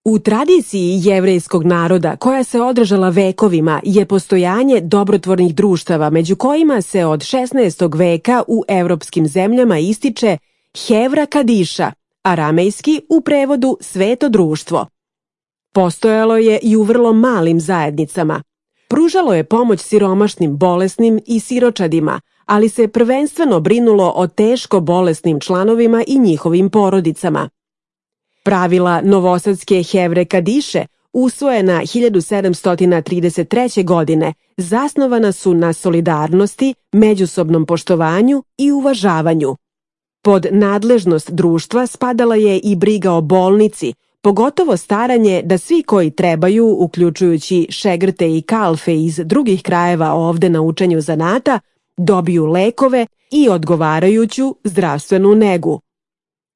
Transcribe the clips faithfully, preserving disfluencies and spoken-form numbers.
U tradiciji jevrejskog naroda, koja se održala vekovima, je postojanje dobrotvornih društava, među kojima se od šesnaestog veka u evropskim zemljama ističe Hevra Kadiša, aramejski u prevodu sveto društvo. Postojalo je i u vrlo malim zajednicama. Pružalo je pomoć siromašnim, bolesnim i siročadima, ali se prvenstveno brinulo o teško bolesnim članovima i njihovim porodicama. Pravila novosadske Hevre Kadiše, usvojena hiljadu sedamsto trideset treće. godine, zasnovana su na solidarnosti, međusobnom poštovanju i uvažavanju. Pod nadležnost društva spadala je i briga o bolnici, pogotovo staranje da svi koji trebaju, uključujući šegrte i kalfe iz drugih krajeva ovde na učenju zanata, dobiju lekove i odgovarajuću zdravstvenu negu.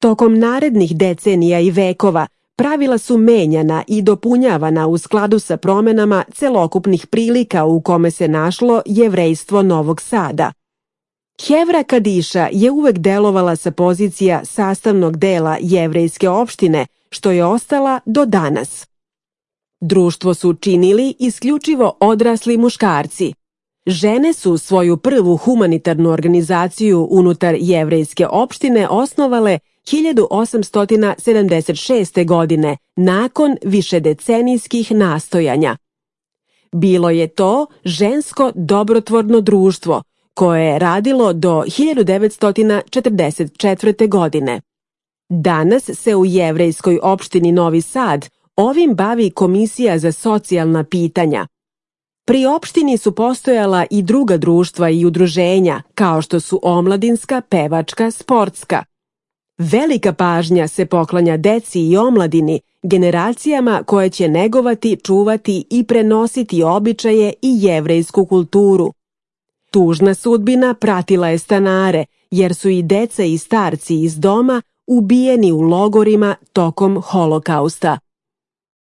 Tokom narednih decenija i vekova pravila su menjana i dopunjavana u skladu sa promenama celokupnih prilika u kome se našlo jevrejstvo Novog Sada. Hevra Kadiša je uvek delovala sa pozicija sastavnog dela jevrejske opštine, što je ostala do danas. Društvo su činili isključivo odrasli muškarci. Žene su svoju prvu humanitarnu organizaciju unutar jevrejske opštine osnovale hiljadu osamsto sedamdeset šeste. godine, nakon višedecenijskih nastojanja. Bilo je to žensko dobrotvorno društvo, koje je radilo do hiljadu devetsto četrdeset četvrte. godine. Danas se u jevrejskoj opštini Novi Sad ovim bavi Komisija za socijalna pitanja. Pri opštini su postojala i druga društva i udruženja, kao što su omladinska, pevačka, sportska. Velika pažnja se poklanja deci i omladini, generacijama koje će negovati, čuvati i prenositi običaje i jevrejsku kulturu. Tužna sudbina pratila je stanare, jer su i deca i starci iz doma ubijeni u logorima tokom Holokausta.